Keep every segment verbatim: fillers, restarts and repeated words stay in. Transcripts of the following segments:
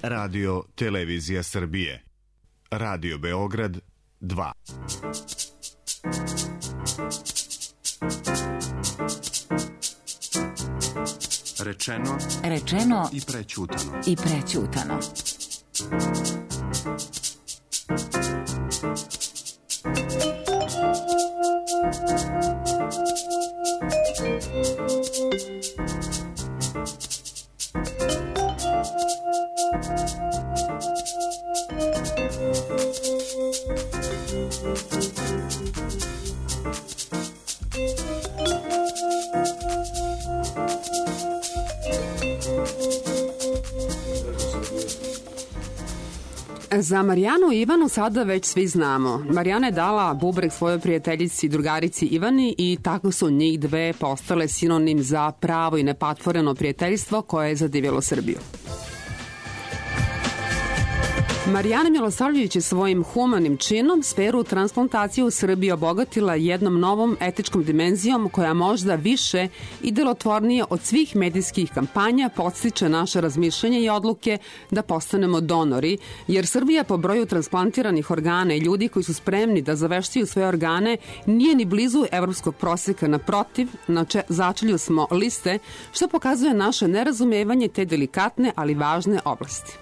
Radio Televizija Srbije. Radio Beograd dva. Rečeno, rečeno i prećutano. I prećutano. Za Marijanu i Ivanu sada već svi znamo. Marijana je dala bubreg svojoj prijateljici i drugarici Ivani i tako su njih dve postale sinonim za pravo i nepatvoreno prijateljstvo koje je zadivjelo Srbiju. Marijana Milosavljević je svojim humanim činom sferu transplantacije u Srbiji obogatila jednom novom etičkom dimenzijom koja možda više i delotvornije od svih medijskih kampanja podstiče naše razmišljanje i odluke da postanemo donori, jer Srbija po broju transplantiranih organa i ljudi koji su spremni da zaveštaju svoje organe nije ni blizu evropskog proseka, naprotiv, na če, začelju smo liste, što pokazuje naše nerazumevanje te delikatne, ali važne oblasti.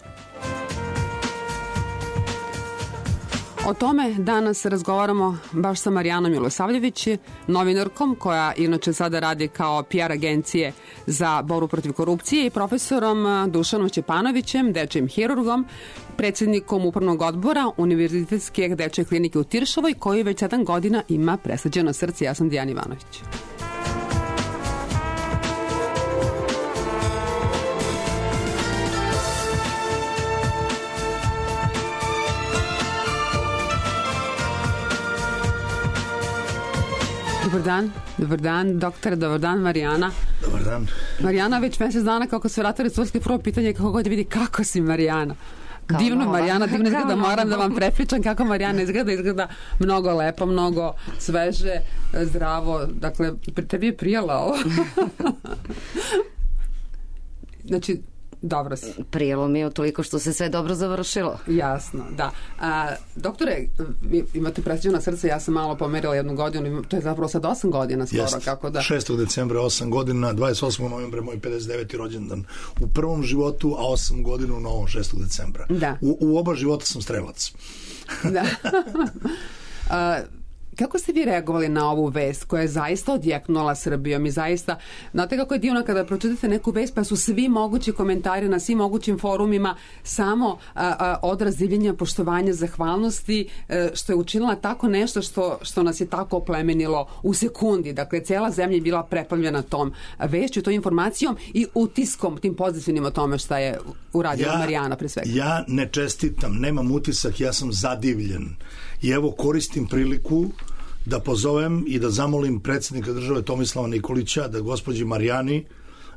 O tome danas razgovaramo baš sa Marijanom Milosavljević, novinarkom koja inače sada radi kao P R agencije za borbu protiv korupcije i profesorom Dušanom Ćepanovićem, dečijim hirurgom, predsjednikom upravnog odbora Univerzitetske dečje klinike u Tiršovoj, koji već sedam godina ima presađeno srce. Ja sam Dijana Ivanović. Dobar dan, dobar dan, doktore, dobar dan, Marijana. Dobar dan. Marijana, već mesec dana kako se vratili Turske, prvo pitanje kako god vidi kako si, Marijana. Kao divno, nova. Marijana, divno izgleda, moram da vam prepričam kako Marijana izgleda, izgleda mnogo lepo, mnogo sveže, zdravo, dakle, tebi je prijela ovo. Znači, dobro si. Prijelo mi je toliko što se sve dobro završilo. Jasno, da. A, doktore, vi imate presađeno srce, ja sam malo pomerila jednu godinu, to je zapravo sad osam godina skoro. Jest, kako da... šestog decembra osam godina, dvadeset osmog novembra moj pedeset deveti rođendan u prvom životu, a osam godina u novom šestog decembra. Da. U, u oba života sam strelac. Da. A, kako ste vi reagovali na ovu vest koja je zaista odjeknula Srbijom i zaista, znate kako je divno kada pročitate neku vest pa su svi mogući komentari na svim mogućim forumima samo a, a, odraz divljenja, poštovanja, zahvalnosti, a, što je učinila tako nešto što, što nas je tako oplemenilo u sekundi. Dakle, cela zemlja je bila preplavljena tom vešću, tom informacijom i utiskom, tim pozitivnim o tome šta je uradila ja, Marijana pre svega. Ja ne čestitam, nemam utisak, ja sam zadivljen. I evo koristim priliku da pozovem i da zamolim predsjednika države Tomislava Nikolića da gospođi Marijani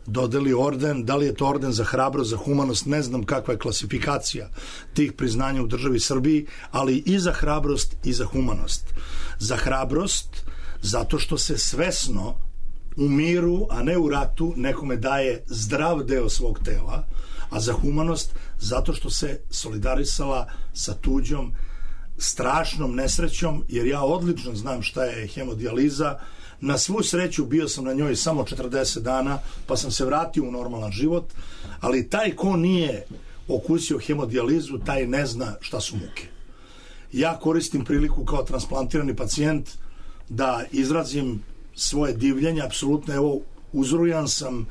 dodeli orden, da li je to orden za hrabrost, za humanost, ne znam kakva je klasifikacija tih priznanja u državi Srbiji, ali i za hrabrost i za humanost. Za hrabrost zato što se svesno u miru, a ne u ratu, nekome daje zdrav deo svog tela, a za humanost zato što se solidarisala sa tuđom strašnom nesrećom, jer ja odlično znam šta je hemodijaliza. Na svu sreću bio sam na njoj samo četrdeset dana, pa sam se vratio u normalan život, ali taj ko nije okusio hemodijalizu, taj ne zna šta su muke. Ja koristim priliku kao transplantirani pacijent da izrazim svoje divljenje, apsolutno, evo, uzrujan sam,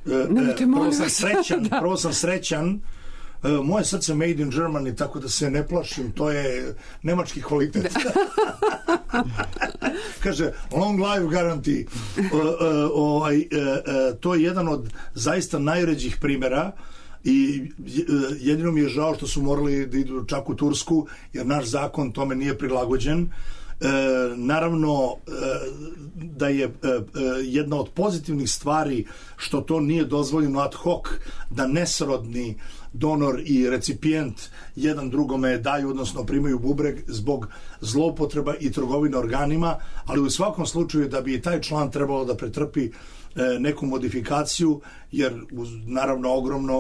e, prvo sam srećan, da. prvo sam srećan, moje srce made in Germany, tako da se ne plašim, to je nemački kvalitet. Kaže, long life guarantee. O, o, o, e, e, to je jedan od zaista najređih primjera i jedino mi je žao što su morali da idu čak u Tursku, jer naš zakon tome nije prilagođen naravno da je jedna od pozitivnih stvari što to nije dozvoljeno ad hoc da nesrodni donor i recipijent jedan drugome daju, odnosno primaju bubreg zbog zloupotreba i trgovine organima, ali u svakom slučaju da bi i taj član trebalo da pretrpi neku modifikaciju, jer uz naravno ogromno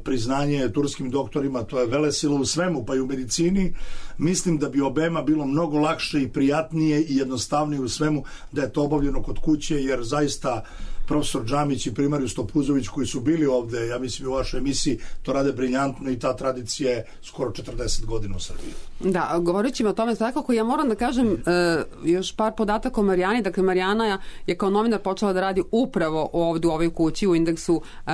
priznanje turskim doktorima, to je velesilo u svemu, pa i u medicini, mislim da bi obema bilo mnogo lakše i prijatnije i jednostavnije u svemu da je to obavljeno kod kuće, jer zaista profesor Džamić i primarijus Topuzović koji su bili ovde, ja mislim u vašoj emisiji, to rade briljantno i ta tradicija je skoro četrdeset godina u Srbiji. Da, govoreći o tome svakako, ja moram da kažem uh, još par podataka o Marijani. Dakle, Marijana je kao novinar počela da radi upravo ovdje u ovoj kući u Indeksu uh, uh,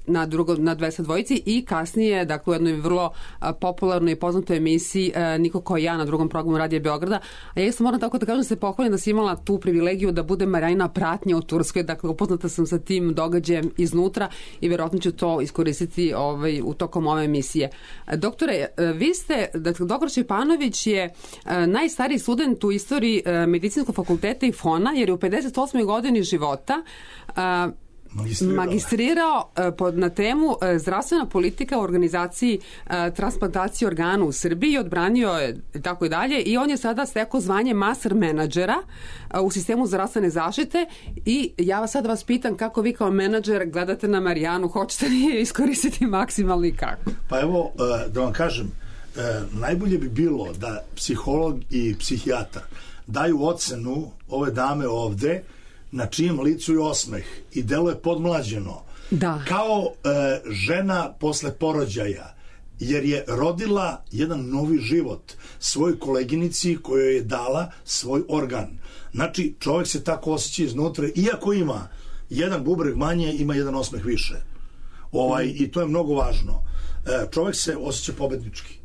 na, drugo, na dvesta dvojici i kasnije, dakle, u jednoj vrlo uh, popularnoj i poznatoj emisiji uh, Niko kao ja na drugom programu Radija Beograda. A ja isto moram tako da kažem se pohvalim da sam imala tu privilegiju da bude Marijanina pratnja u Turskoj. Dakle, upoznata sam sa tim događajem iznutra i verovatno ću to iskoristiti ovaj, u tokom ove emisije. Doktore, vi ste, dakle, doktor Šćepanović je najstariji student u istoriji medicinskog fakulteta i F O N-a, jer je u pedeset osmoj godini života magistrirao, magistrirao pod, na temu zdravstvena politika u organizaciji transplantacije organa u Srbiji, odbranio je tako i dalje i on je sada stekao zvanje master menadžera u sistemu zdravstvene zaštite i ja vas sad vas pitam kako vi kao menadžer gledate na Marijanu, hoćete li iskoristiti maksimalno i kako? Pa evo, da vam kažem, najbolje bi bilo da psiholog i psihijatar daju ocenu ove dame ovde na čijem licu je osmeh i deluje podmlađeno. Da. Kao e, žena posle porođaja, jer je rodila jedan novi život svojoj koleginici kojoj je dala svoj organ. Znači, čovjek se tako osjeća iznutra, iako ima jedan bubreg manje, ima jedan osmeh više. Ovaj, mm. I to je mnogo važno. E, čovjek se osjeća pobednički.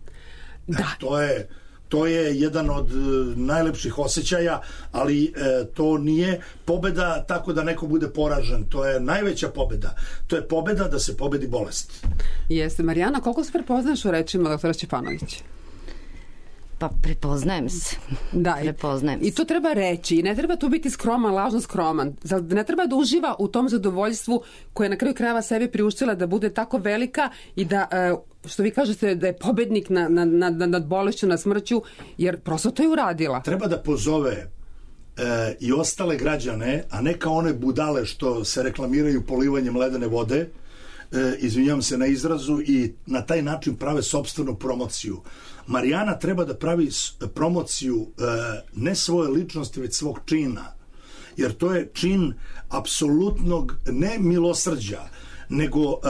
Da. E, to je... To je jedan od najlepših osjećaja, ali e, to nije pobeda tako da neko bude poražen. To je najveća pobeda. To je pobeda da se pobedi bolest. Jeste. Marijana, koliko se prepoznaš u rečima doktora Šćepanovića? Pa prepoznajem se. Da, prepoznajem se. I to treba reći. I ne treba tu biti skroman, lažno skroman. Ne treba da uživa u tom zadovoljstvu koje je na kraju krajeva sebi priuštila da bude tako velika i da... E, što vi kažete da je pobednik nad na, na, na, na bolešću, nad smrću, jer prosto to je uradila. Treba da pozove e, i ostale građane, a ne kao one budale što se reklamiraju polivanjem ledene vode, e, izvinjavam se na izrazu, i na taj način prave sopstvenu promociju. Marijana treba da pravi promociju e, ne svoje ličnosti, već svog čina. Jer to je čin apsolutnog ne milosrđa, nego uh, uh,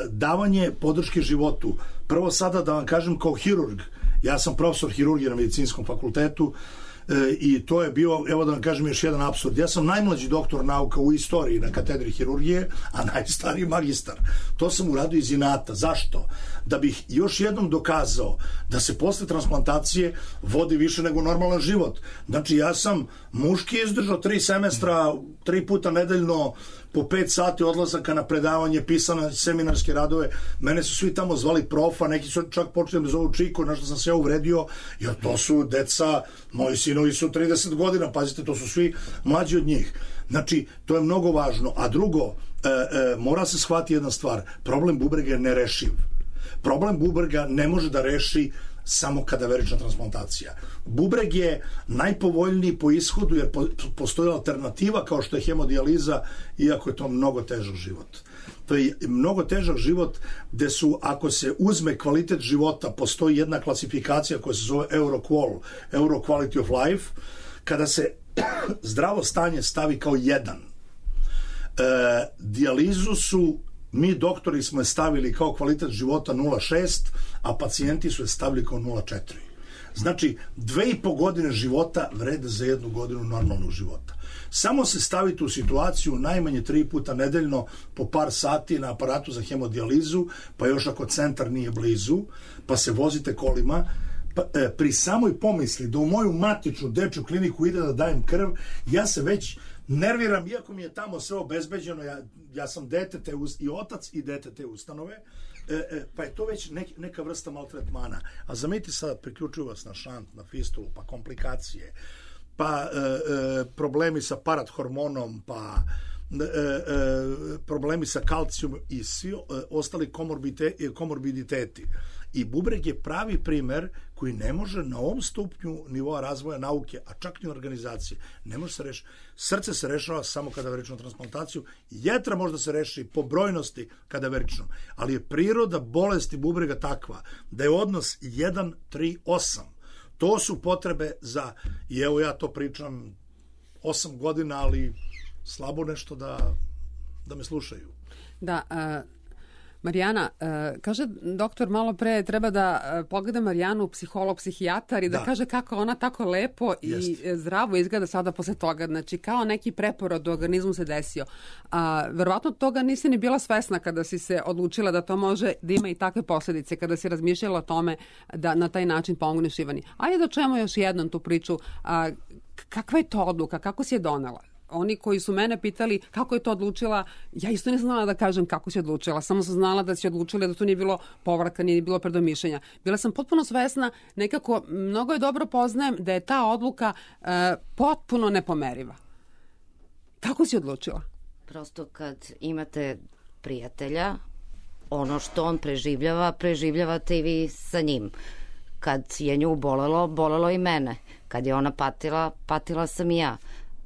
davanje podrške životu. Prvo sada da vam kažem kao hirurg, ja sam profesor hirurgije na medicinskom fakultetu uh, i to je bio, evo da vam kažem još jedan apsurd, ja sam najmlađi doktor nauka u istoriji na katedri hirurgije, a najstariji magistar. To sam uradio iz inata. Zašto? Da bih još jednom dokazao da se posle transplantacije vodi više nego normalan život. Znači ja sam muški izdržao tri semestra, tri puta nedeljno, po pet sati odlazaka na predavanje, pisane seminarske radove. Mene su svi tamo zvali profa, neki su čak počeli da zovu Čiko, na što sam se ja uvredio, jer to su deca, moji sinovi su trideset godina, pazite, to su svi mlađi od njih. Znači, to je mnogo važno. A drugo, e, e, mora se shvatiti jedna stvar, problem bubrega je nerešiv. Problem bubrega ne može da reši samo kadaverična transplantacija. Bubreg je najpovoljniji po ishodu jer po, postoji alternativa kao što je hemodijaliza, iako je to mnogo težak život. To je mnogo težak život gde su, ako se uzme kvalitet života, postoji jedna klasifikacija koja se zove EuroQual, Euro Quality of Life, kada se zdravo stanje stavi kao jedan. E, dijalizu su mi doktori smo je stavili kao kvalitet života nula zarez šest, a pacijenti su je stavili kao nula zarez četiri. Znači, dve i po godine života vrede za jednu godinu normalnog života. Samo se stavite u situaciju najmanje tri puta nedeljno po par sati na aparatu za hemodijalizu, pa još ako centar nije blizu, pa se vozite kolima, pa, e, pri samoj pomisli da u moju matičnu dečju kliniku ide da dajem krv, ja se već nerviram, iako mi je tamo sve obezbeđeno, ja, ja sam dete te, i otac i dete te ustanove, E, e, pa je to već nek, neka vrsta maltretmana. A zameti sad, priključuju vas na šant, na fistulu, pa komplikacije, pa e, e, problemi sa parathormonom, pa e, e, problemi sa kalcijum i svi e, ostali komorbite, komorbiditeti. I bubreg je pravi primer koji ne može na ovom stupnju nivoa razvoja nauke, a čak i organizacije, ne može se rešiti. Srce se rešava samo kada verično transplantaciju, jetra možda se reši po brojnosti kada verično, ali je priroda bolesti bubrega takva da je odnos jedan tri osam. To su potrebe za, i evo ja to pričam osam godina, ali slabo nešto da, da me slušaju. Da, a... Marijana, kaže doktor malo pre treba da pogleda Marijanu psiholog, psihijatar i da, da kaže kako ona tako lepo Jest. i zdravo izgleda sada posle toga. Znači kao neki preporod u organizmu se desio. A, verovatno toga nisi ni bila svesna kada si se odlučila da to može da ima i takve posledice, kada si razmišljala o tome da na taj način pomogneš Ivani. Ajde da čujemo još jednom tu priču. A, kakva je to odluka? Kako si je donela? Oni koji su mene pitali kako je to odlučila, ja isto nisam znala da kažem kako si odlučila, samo sam znala da si odlučila da to nije bilo povratka, nije bilo predomišljenja. Bila sam potpuno svesna, nekako mnogo je dobro poznajem da je ta odluka e, potpuno nepomeriva. Kako si odlučila? Prosto kad imate prijatelja, ono što on preživljava, preživljavate i vi sa njim. Kad je nju bolelo, bolelo i mene. Kad je ona patila, patila sam i ja.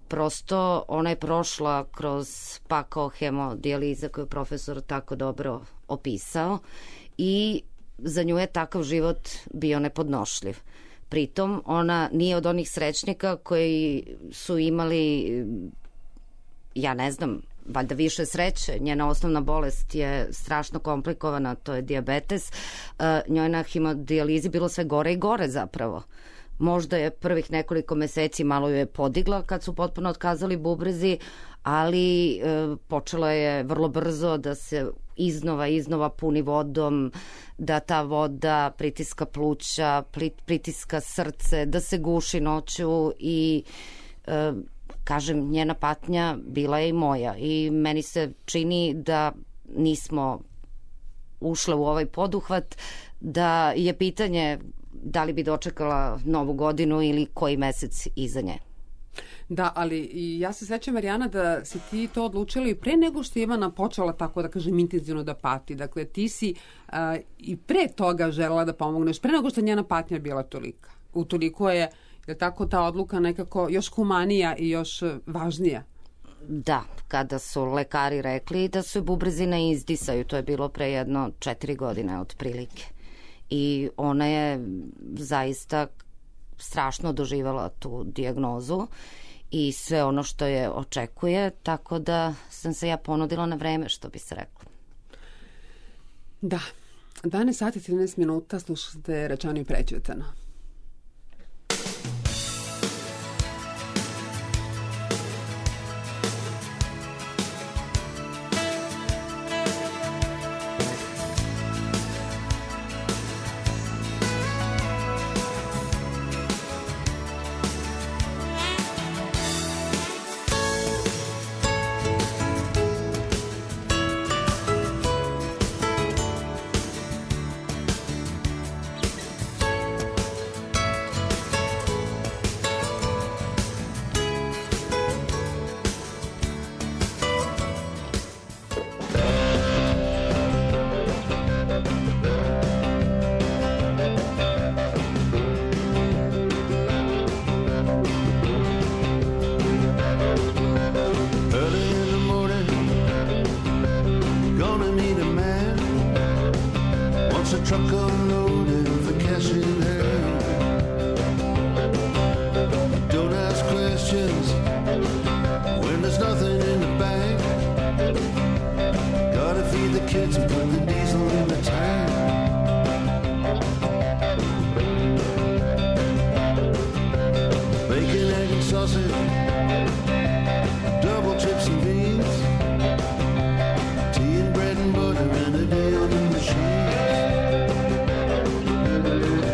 Prosto ona je prošla kroz pakao hemodijaliza koju je profesor tako dobro opisao i za nju je takav život bio nepodnošljiv. Pritom ona nije od onih srećnika koji su imali, ja ne znam, valjda više sreće. Njena osnovna bolest je strašno komplikovana, to je dijabetes. Njoj na hemodijalizi bilo sve gore i gore zapravo. Možda je prvih nekoliko meseci malo ju je podigla kad su potpuno otkazali bubrezi, ali e, počela je vrlo brzo da se iznova, iznova puni vodom, da ta voda pritiska pluća, pritiska srce, da se guši noću i e, kažem, njena patnja bila je i moja i meni se čini da nismo ušle u ovaj poduhvat, da je pitanje da li bi dočekala novu godinu ili koji mesec iza nje. Da, ali ja se sećam, Marijana, da si ti to odlučila i pre nego što je Ivana počela tako da kažem intenzivno da pati. Dakle, ti si uh, i pre toga želela da pomogneš, pre nego što je njena patnja bila tolika. Utoliko je, je tako ta odluka nekako još humanija i još važnija. Da, kada su lekari rekli da su bubrezi na izdisaju, to je bilo pre jedno četiri godine otprilike. I ona je zaista strašno doživjela tu dijagnozu i sve ono što je očekuje, tako da sam se ja ponudila na vreme, što bi se reklo. Da, dvanaest sati i trinaest minuta, slušate Rečeno i prećutano.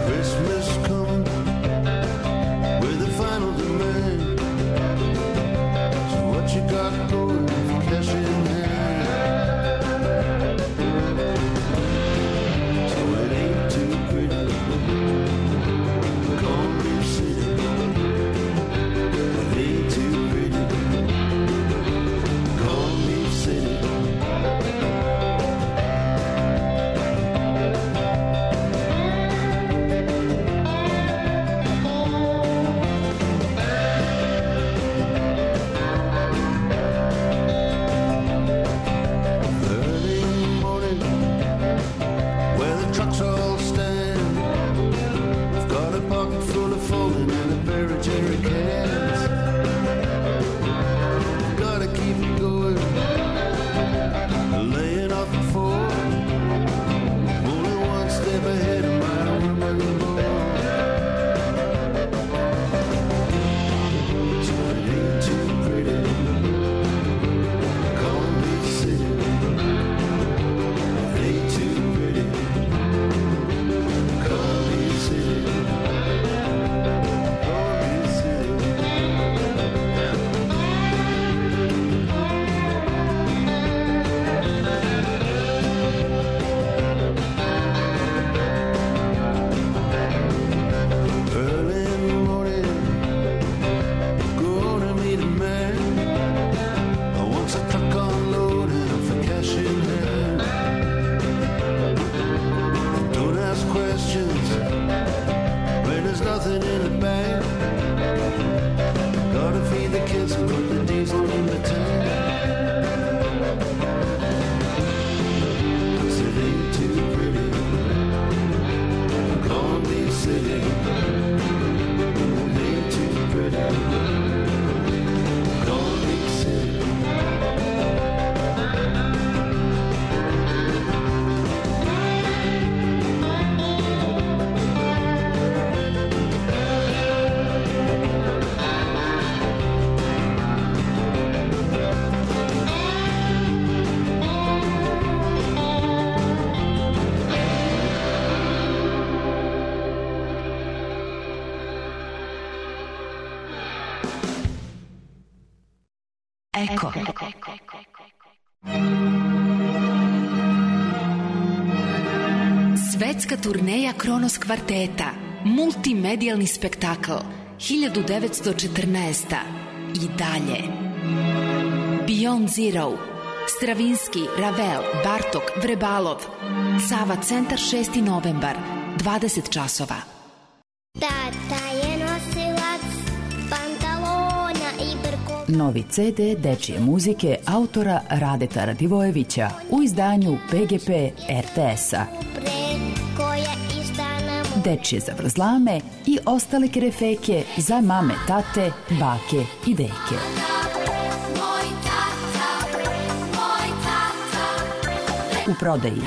Christmas Eko. Svetska turneja Kronos kvarteta, multimedijalni spektakl, hiljadu devetsto četrnaesta. I dalje. Beyond Zero, Stravinski, Ravel, Bartok, Vrebalov. Sava centar šesti novembar, dvadeset časova. Tata je nosilac pantalona i brkova. Novi ce de dečije muzike autora Radeta Radivojevića u izdanju pe ge pe er te esa. Dečije zavrzlame i ostale kerefeke za mame, tate, bake i deke. U prodaji.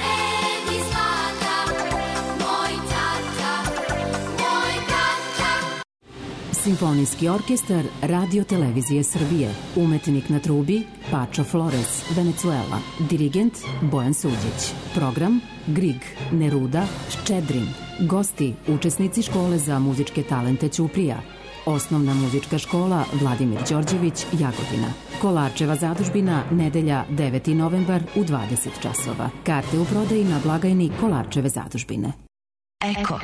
Simfonijski orkestar Radio Televizije Srbije. Umetnik na trubi Pačo Flores, Venezuela. Dirigent Bojan Suđić. Program Grig, Neruda, Ščedrin. Gosti, učesnici škole za muzičke talente Ćuprija. Osnovna muzička škola Vladimir Đorđević, Jagodina. Kolarčeva zadužbina, nedelja deveti novembar u dvadeset časova. Karte u prodaji na blagajni Kolarčeve zadužbine. Eko.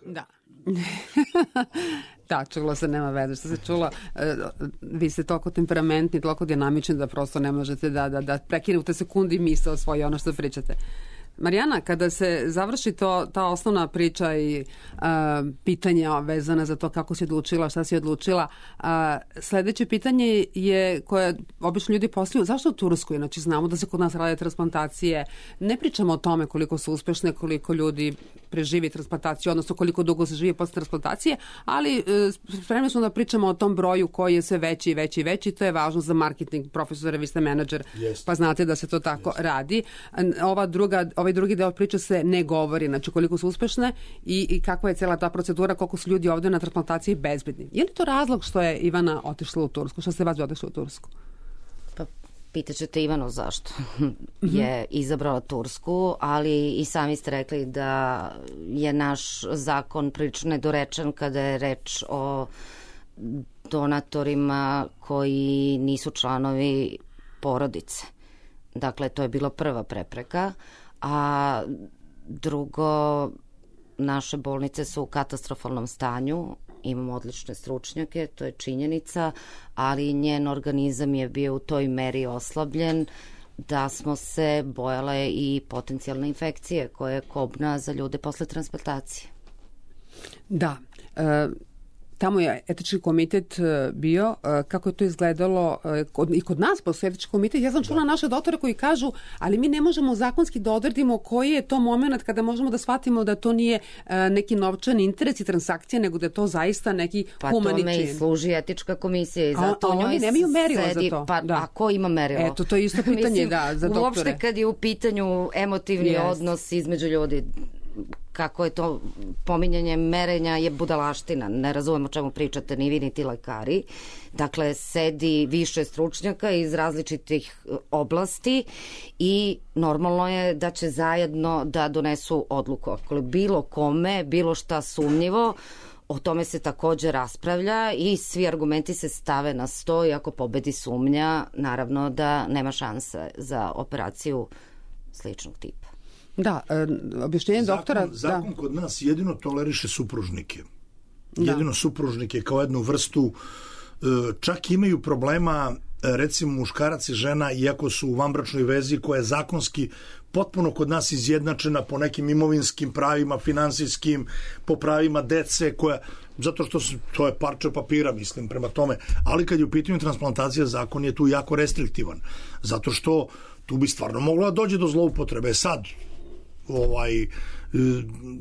Da. Da, čula se, nema veze što se čula. Vi ste toliko temperamentni, toliko dinamični da prosto ne možete da, da, da prekinute sekundi misle o svoje ono što pričate. Marijana, kada se završi to, ta osnovna priča i uh, pitanja vezana za to kako si odlučila, šta si odlučila, uh, sledeće pitanje je koje obično ljudi postavljaju, zašto u Turskoj? Znači, znamo da se kod nas rade transplantacije, ne pričamo o tome koliko su uspešne, koliko ljudi preživi transplantaciju, odnosno koliko dugo se živi posle transplantacije, ali uh, spremni smo da pričamo o tom broju koji je sve veći i veći i veći, to je važno za marketing, profesore, vi ste menadžer, yes. Pa znate da se to tako yes. radi. Ova druga, ovaj drugi deo priče se ne govori, znači koliko su uspešne i, i kakva je cela ta procedura, koliko su ljudi ovde na transplantaciji bezbedni. Je li to razlog što je Ivana otišla u Tursku? Što ste vas otišli u Tursku? Pa pitaćete Ivanu zašto je izabrala Tursku, ali i sami ste rekli da je naš zakon prilično nedorečen kada je reč o donatorima koji nisu članovi porodice. Dakle, to je bila prva prepreka. A drugo, naše bolnice su u katastrofalnom stanju, imamo odlične stručnjake, to je činjenica, ali njen organizam je bio u toj meri oslabljen da smo se bojale i potencijalne infekcije koje je kobna za ljude posle transplantacije. Da, e, tamo je etički komitet bio, kako je to izgledalo kod, i kod nas postoji etički komitet. Ja sam čula da. naše doktore koji kažu, ali mi ne možemo zakonski da odredimo koji je to moment kada možemo da shvatimo da to nije neki novčani interes i transakcija, nego da je to zaista neki pa humani čin. Pa tome i služi etička komisija i zato a, a njoj oni nemaju merilo sedi, za to. Pa, da. A ko ima merilo? Eto, to je isto pitanje Mislim, da, za doktore. Uopšte kad je u pitanju emotivni yes. odnos između ljudi, kako je to pominjanje merenja je budalaština, ne razumemo o čemu pričate ni vi ni ti lekari. Dakle, sedi više stručnjaka iz različitih oblasti i normalno je da će zajedno da donesu odluku. Ako bilo kome, bilo šta sumnjivo, o tome se takođe raspravlja i svi argumenti se stave na sto i ako pobedi sumnja, naravno da nema šanse za operaciju sličnog tipa. Da, e, objašnjenje zakon, doktora... Zakon da. kod nas jedino toleriše supružnike. Da. Jedino supružnike kao jednu vrstu, čak imaju problema, recimo muškarac i žena, iako su u vanbračnoj vezi koja je zakonski potpuno kod nas izjednačena po nekim imovinskim pravima, finansijskim, po pravima dece, koja, zato što su, to je parče papira, mislim, prema tome. Ali kad je u pitanju transplantacija, zakon je tu jako restriktivan. Zato što tu bi stvarno mogla dođe do zloupotrebe. Sad, ovaj,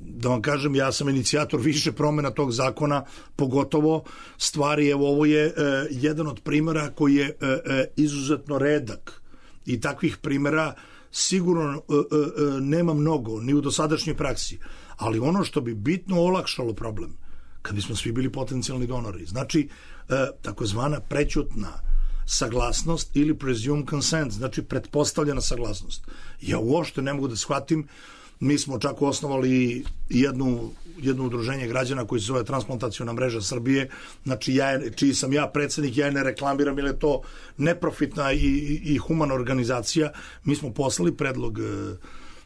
da vam kažem, ja sam inicijator više promjena tog zakona, pogotovo stvari, evo ovo je e, jedan od primjera koji je e, e, izuzetno redak i takvih primjera sigurno e, e, nema mnogo, ni u dosadašnjoj praksi, ali ono što bi bitno olakšalo problem, kad bismo svi bili potencijalni donori, znači e, takozvana prećutna saglasnost ili presumed consent, znači pretpostavljena saglasnost. Ja uopšte ne mogu da shvatim Mi smo čak osnovali jednu, jedno udruženje građana koji se zove Transplantaciona mreža Srbije, znači ja, čiji sam ja predsednik, ja je ne reklamiram jer je to neprofitna i, i, i humana organizacija. Mi smo poslali predlog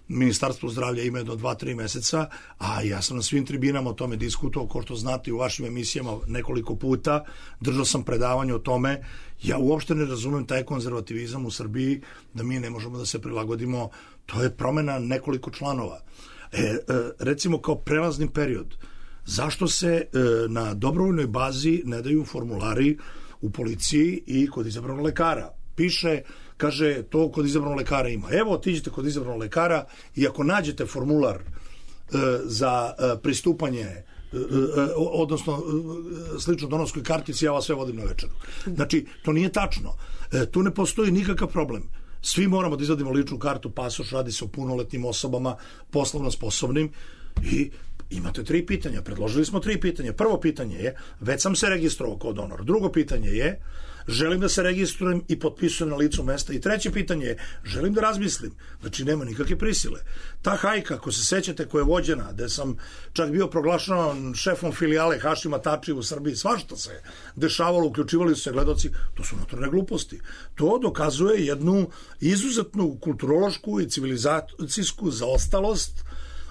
Ministarstvo zdravlja ima jedno dva, tri meseca, a ja sam na svim tribinama o tome diskutovao, kao što znate u vašim emisijama nekoliko puta, držao sam predavanje o tome. Ja uopšte ne razumem taj konzervativizam u Srbiji, da mi ne možemo da se prilagodimo, to je promena nekoliko članova. E, e, recimo kao prelazni period, zašto se e, na dobrovoljnoj bazi ne daju formulari u policiji i kod izabranog lekara? Piše, kaže, to kod izabranog lekara ima. Evo, otiđite kod izabranog lekara i ako nađete formular e, za e, pristupanje, e, e, odnosno e, slično donorskoj kartici, ja vas sve vodim na večeru. Znači, to nije tačno. E, tu ne postoji nikakav problem. Svi moramo da izvadimo ličnu kartu, pasoš, radi se o punoletnim osobama, poslovno sposobnim i imate tri pitanja. Predložili smo tri pitanja. Prvo pitanje je, već sam se registrovao kao donor. Drugo pitanje je, želim da se registrujem i potpisujem na licu mesta. I treće pitanje je, želim da razmislim. Znači, nema nikakve prisile. Ta hajka, ako se sećate, koja je vođena, gde sam čak bio proglašavan šefom filijale Hašima Tači u Srbiji, svašta se dešavalo, uključivali su se gledoci, to su notorne gluposti. To dokazuje jednu izuzetnu kulturološku i civilizacijsku zaostalost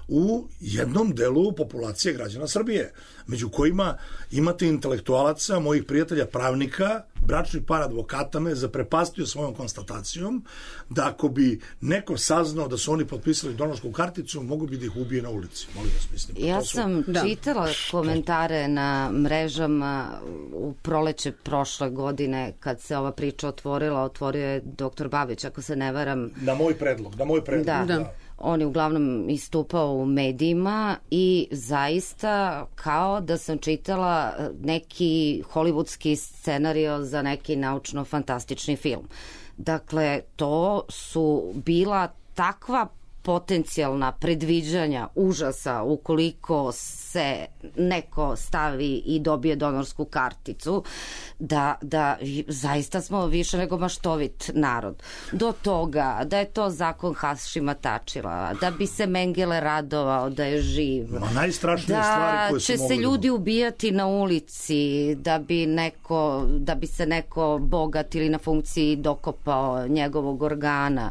u jednom delu populacije građana Srbije, među kojima imate intelektualaca, mojih prijatelja pravnika, bračni par advokata me zaprepastio svojom konstatacijom da ako bi neko saznao da su oni potpisali donorsku karticu, mogu bi da ih ubije na ulici. Molim vas, mislim. Ja su... sam da. čitala komentare na mrežama u proleće prošle godine, kad se ova priča otvorila, otvorio je doktor Babić, ako se ne varam. Na moj predlog, na moj predlog. Da, da. On je uglavnom istupao u medijima i zaista kao da sam čitala neki hollywoodski scenario za neki naučno-fantastični film. Dakle, to su bila takva potencijalna predviđanja užasa ukoliko se neko stavi i dobije donorsku karticu, da, da zaista smo više nego maštovit narod. Do toga da je to zakon Hašima Tačila, da bi se Mengele radovao da je živ, Ma, najstrašnije da stvari koje će se se ljudi ubijati na ulici, da bi, neko, da bi se neko bogat ili na funkciji dokopao njegovog organa.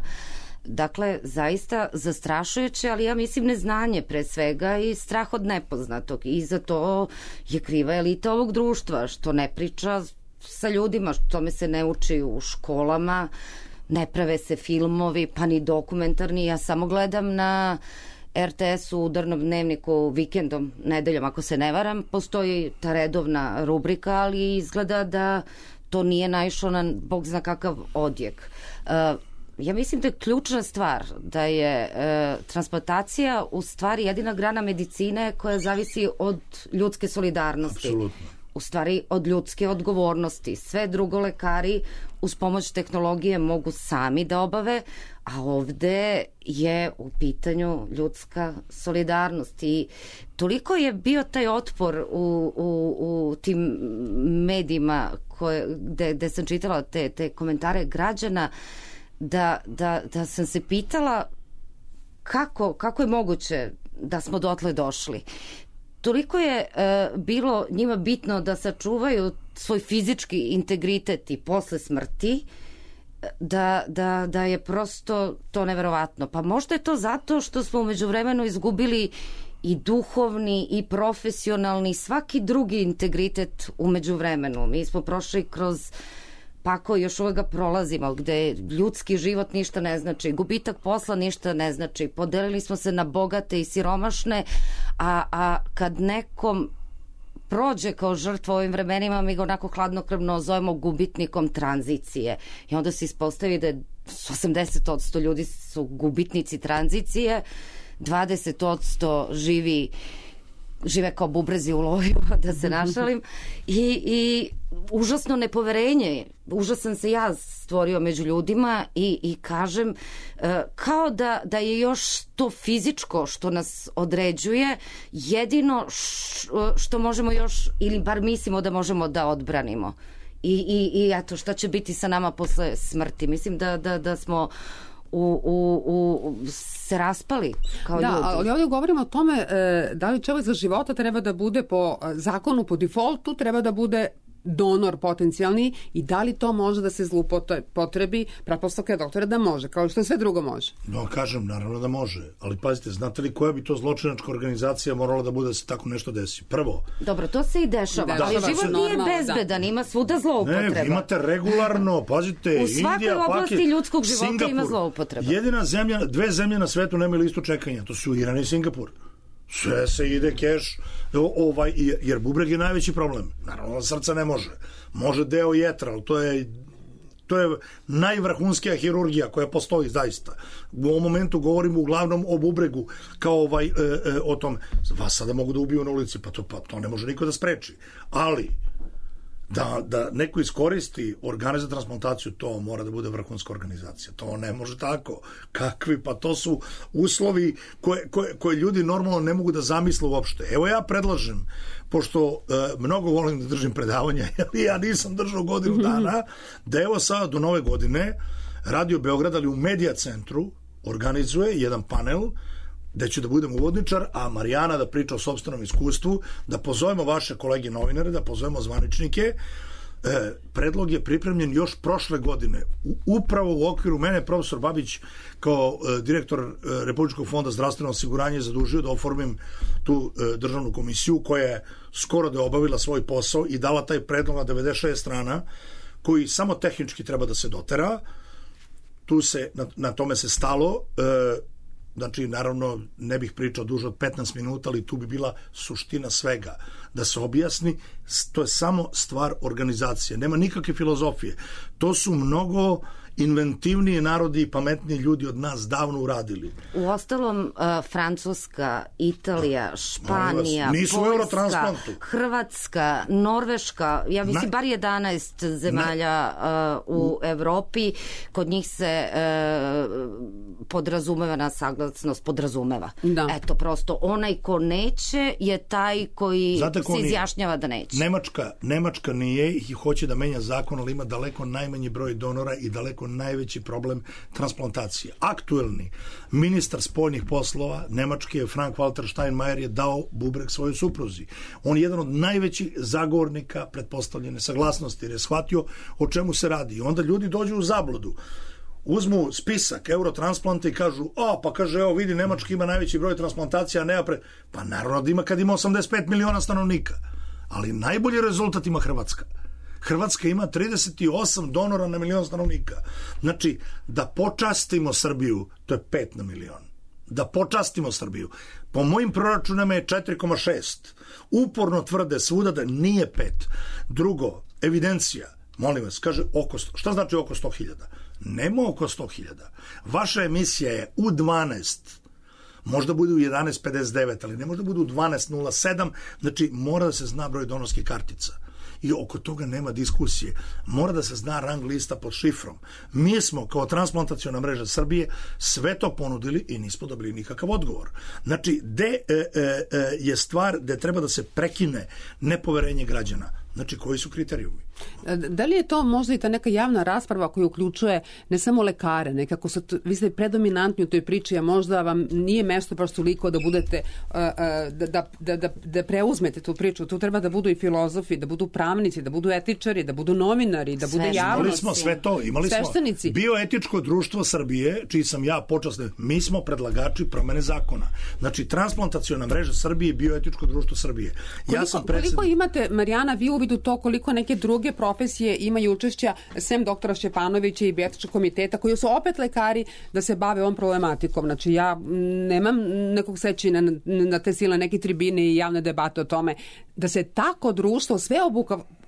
Dakle, zaista zastrašujuće, ali ja mislim neznanje pre svega i strah od nepoznatog. I za to je kriva elita ovog društva, što ne priča sa ljudima, što tome se ne uči u školama, ne prave se filmovi, pa ni dokumentarni. Ja samo gledam na er te es u udarnom dnevniku vikendom, nedeljom, ako se ne varam, postoji ta redovna rubrika, ali izgleda da to nije naišlo na bog zna kakav odjek. Uh, Ja mislim da je ključna stvar da je e, transplantacija u stvari jedina grana medicine koja zavisi od ljudske solidarnosti. Apsolutno. U stvari od ljudske odgovornosti. Sve drugo lekari uz pomoć tehnologije mogu sami da obave, a ovde je u pitanju ljudska solidarnost. I toliko je bio taj otpor u, u, u tim medijima koje, gde, gde sam čitala te, te komentare građana, Da, da, da sam se pitala kako, kako je moguće da smo dotle došli. Toliko je e, bilo njima bitno da sačuvaju svoj fizički integritet i posle smrti, da, da, da je prosto to neverovatno. Pa možda je to zato što smo umeđu vremenu izgubili i duhovni i profesionalni, svaki drugi integritet umeđu vremenu. Mi smo prošli kroz pa ako još uvek ga prolazimo, gde ljudski život ništa ne znači, gubitak posla ništa ne znači, podelili smo se na bogate i siromašne, a, a kad nekom prođe kao žrtva u ovim vremenima, mi ga onako hladnokrvno zovemo gubitnikom tranzicije. I onda se ispostavi da je osamdeset posto ljudi su gubitnici tranzicije, dvadeset posto živi žive kao bubrezi u loju, da se našalim, i, i užasno nepoverenje, užasan se ja stvorio među ljudima i, i kažem, kao da, da je još to fizičko što nas određuje jedino što možemo još, ili bar mislimo da možemo da odbranimo. I, i, i eto, šta će biti sa nama posle smrti? Mislim da, da, da smo u, u, u, se raspali kao da, ljudi. Da, ali ovdje govorimo o tome e, da li čovjek za života treba da bude po zakonu, po defaultu, treba da bude donor potencijalni i da li to može da se zloupotrebi, pretpostavka je doktora da može, kao što sve drugo može. No, kažem, naravno da može, ali pazite, znate li koja bi to zločinačka organizacija morala da bude da se tako nešto desi? Prvo... Dobro, to se i dešava, da, ali da, život nije normalno, bezbedan, da. Ima svuda zloupotreba. Ne, imate regularno, pazite, u svakoj Indija, oblasti Pakistan, ljudskog života Singapur. Ima zloupotreba. Jedina zemlja, dve zemlje na svetu nemaju listu čekanja, to su Iran i Singapur. Sve se ide keš, ovaj, jer bubreg je najveći problem. Naravno da srca ne može. Može deo jetra, ali to je, to je najvrhunskija hirurgija koja postoji zaista. U ovom momentu govorimo uglavnom o bubregu kao ovaj, e, e, o tom. Vas sada mogu da ubiju na ulici, pa to, pa to ne može niko da spreči. Ali da, da neko iskoristi organe za transplantaciju, to mora da bude vrhunska organizacija. To ne može tako. Kakvi? Pa to su uslovi koje, koje, koje ljudi normalno ne mogu da zamisle uopšte. Evo ja predlažem, pošto e, mnogo volim da držim predavanja, ali ja nisam držao godinu dana, da evo sada do nove godine Radio Beograd, ali u Medija centru, organizuje jedan panel gde ću da budem uvodničar, a Marijana da priča o sopstvenom iskustvu, da pozovemo vaše kolege novinare, da pozovemo zvaničnike. E, predlog je pripremljen još prošle godine. U, upravo u okviru mene profesor Babić kao e, direktor e, Republičkog fonda zdravstvenog osiguranja je zadužio da oformim tu e, državnu komisiju koja je skoro da je obavila svoj posao i dala taj predlog na devedeset šest strana koji samo tehnički treba da se dotera. Tu se, na, na tome se stalo. E, Znači, naravno, ne bih pričao duže od petnaest minuta, ali tu bi bila suština svega. Da se objasni, to je samo stvar organizacije. Nema nikakve filozofije. To su mnogo inventivniji narodi i pametniji ljudi od nas davno uradili. U ostalom, uh, Francuska, Italija, Španija, Poljska, Hrvatska, Norveška, ja mislim bar jedanaest zemalja uh, u Evropi, kod njih se uh, podrazumeva na saglasnost, podrazumeva. Da. Eto, prosto, onaj ko neće je taj koji se izjašnjava da neće. Nemačka, Nemačka nije i hoće da menja zakon, ali ima daleko najmanji broj donora i daleko najveći problem transplantacije. Aktuelni ministar spoljnih poslova Nemačke, Frank-Walter Steinmeier, je dao bubreg svojoj supruzi. On je jedan od najvećih zagovornika pretpostavljene saglasnosti, jer je shvatio o čemu se radi. I onda ljudi dođu u zabludu. Uzmu spisak eurotransplanta i kažu, o, pa kaže, evo vidi, Nemačka ima najveći broj transplantacija, nema pre... Pa naravno da ima kad ima osamdeset pet miliona stanovnika. Ali najbolji rezultat ima Hrvatska. Hrvatska ima trideset osam donora na milion stanovnika. Znači, da počastimo Srbiju, to je pet na milion. Da počastimo Srbiju. Po mojim proračunama je četiri zarez šest. Uporno tvrde svuda da nije pet. Drugo, evidencija, molim vas, kaže oko sto. Šta znači oko sto hiljada? Nema oko sto hiljada. Vaša emisija je u dvanaest, možda bude u jedanaest pedeset devet, ali ne može da bude u dvanaest nula sedam, znači mora da se zna broj donorskih kartica. I oko toga nema diskusije. Mora da se zna rang lista pod šifrom. Mi smo kao transplantaciona mreža Srbije sve to ponudili i nismo dobili nikakav odgovor. Znači, gde e, e, je stvar gde treba da se prekine nepoverenje građana? Znači, koji su kriterijumi? Da li je to možda i ta neka javna rasprava koja uključuje ne samo lekare, nekako su, vi ste predominantni u toj priči, a možda vam nije mesto baš toliko da budete, da, da, da, da preuzmete tu priču. Tu treba da budu i filozofi, da budu pravnici, da budu etičari, da budu novinari, da bude javnost. Imali smo sve to, imali Sveštenici. smo Bioetičko društvo Srbije, čiji sam ja počasni, mi smo predlagači promene zakona. Znači, transplantaciona mreža Srbije i Bioetičko društvo Srbije. Koliko, ja sam predsed... koliko imate, Marijana, vi uvidu to koliko neke druge profesije imaju učešća, sem doktora Šćepanovića i Bioetičkog komiteta, koji su opet lekari da se bave ovom problematikom. Znači, ja nemam nekog sećina na, na te silne neke tribine i javne debate o tome da se tako društvo sve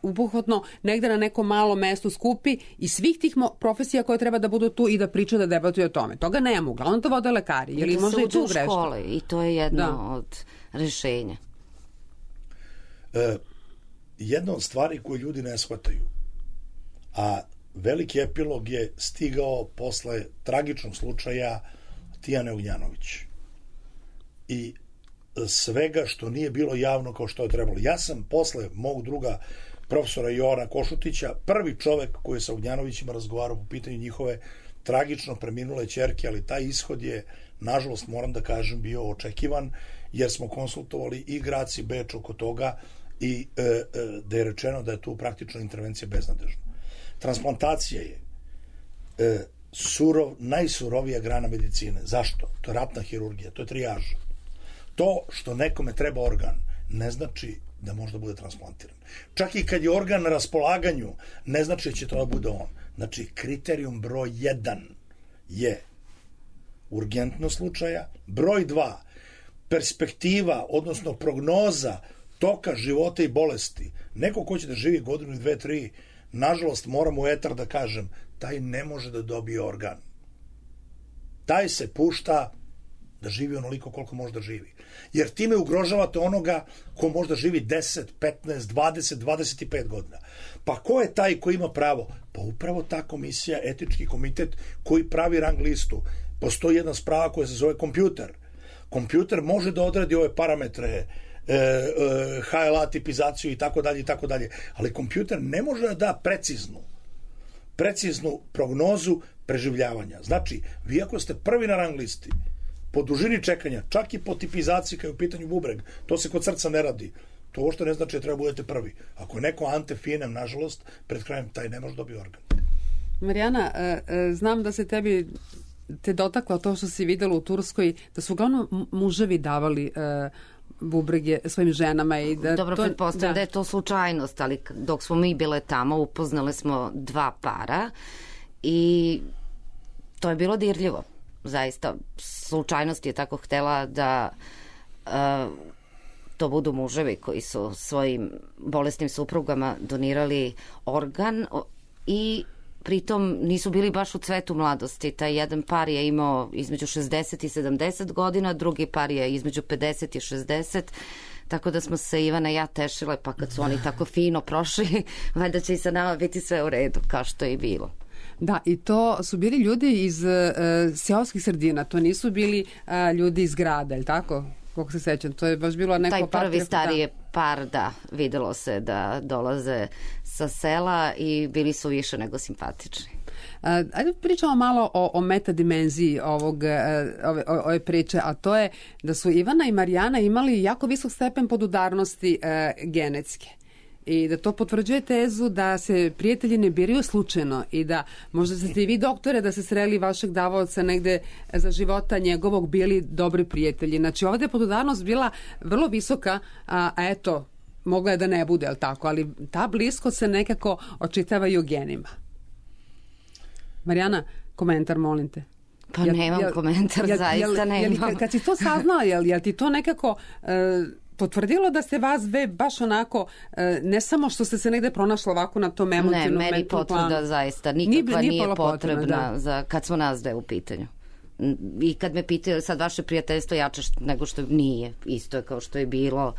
obuhvatno negde na nekom malom mestu skupi i svih tih profesija koje treba da budu tu i da pričaju, da debatuju o tome. Toga nema. Uglavnom to vode lekari. Jer I da možda se i tu uđe u škole i to je jedno da. od rešenja. E, jedna od stvari koje ljudi ne shvataju, a veliki epilog je stigao posle tragičnog slučaja Tijane Ognjanović i svega što nije bilo javno kao što je trebalo. Ja sam posle mog druga profesora Jovana Košutića prvi čovek koji je sa Ognjanovićima razgovarao po pitanju njihove tragično preminule ćerke, ali taj ishod je, nažalost, moram da kažem, bio očekivan, jer smo konsultovali i Grac i Beč oko toga i e, e, da je rečeno da je tu praktično intervencija beznadežna. Transplantacija je e, surov, najsurovija grana medicine. Zašto? To je ratna hirurgija, to je trijaža. To što nekome treba organ ne znači da može da bude transplantiran. Čak i kad je organ na raspolaganju, ne znači da će to da bude on. Znači, kriterijum broj jedan je urgentnost slučaja, broj dva, perspektiva, odnosno prognoza toka života i bolesti. Neko ko će da živi godinu, dve, tri, nažalost, moram u etar da kažem, taj ne može da dobije organ. Taj se pušta da živi onoliko koliko može da živi. Jer time ugrožavate onoga ko može da živi deset, petnaest, dvadeset, dvadeset i pet godina. Pa ko je taj ko ima pravo? Pa upravo ta komisija, etički komitet koji pravi rang listu. Postoji jedna sprava koja se zove kompjuter. Kompjuter može da odradi ove parametre, e, e, H L A tipizaciju i tako dalje i tako dalje, ali kompjuter ne može da da preciznu preciznu prognozu preživljavanja. Znači, vi ako ste prvi na rang listi, po dužini čekanja, čak i po tipizaciji kada je u pitanju bubreg, to se kod srca ne radi. To uopšte ne znači da treba budete prvi. Ako je neko ante finem, nažalost, pred krajem taj ne može dobiti organ. Marijana, znam da se tebi te dotaklo to što si videla u Turskoj, da su uglavnom muževi davali bubrege svojim ženama. I da Dobro, to, pretpostavljam da. da je to slučajnost, ali dok smo mi bile tamo, upoznali smo dva para i to je bilo dirljivo. Zaista, slučajnost je tako htela da uh, to budu muževi koji su svojim bolesnim suprugama donirali organ i pritom nisu bili baš u cvetu mladosti. Taj jedan par je imao između šezdeset i sedamdeset godina, drugi par je između pedeset i šezdeset, tako da smo se Ivana i ja tešile, pa kad su oni tako fino prošli, valjda će i sa nama biti sve u redu, kao što je i bilo. Da, i to su bili ljudi iz uh, seoskih sredina, to nisu bili uh, ljudi iz grada, ili tako? Kako se sećam, to je baš bilo neko... Taj prvi par, stari je da. par, da, videlo se da dolaze sa sela i bili su više nego simpatični. Uh, ajde pričamo malo o, o metadimenziji ovog, uh, ove, ove priče, a to je da su Ivana i Marijana imali jako visok stepen podudarnosti uh, genetske. I da to potvrđuje tezu da se prijatelji ne biraju slučajno i da možda ste i vi, doktore, da se sreli vašeg davaoca negde za života njegovog bili dobri prijatelji. Znači ovdje je podudarnost bila vrlo visoka, a, a eto, mogla je da ne bude, ali tako, ali ta bliskost se nekako očitava i u genima. Marijana, komentar, molim te. Pa jel, nemam jel, komentar, jel, zaista jel, nemam. Jel, kad si to saznala, jel, jel ti to nekako... Uh, potvrdilo da se vas dve baš onako, ne samo što ste se negde pronašli ovako na tom emotivnom... Ne, meni potvrda planu. Zaista nikakva nije, nije potrebna, potrebna da. za, kad smo nas dve u pitanju. I kad me pitaju sad vaše prijateljstvo jače nego što nije, isto je kao što je bilo.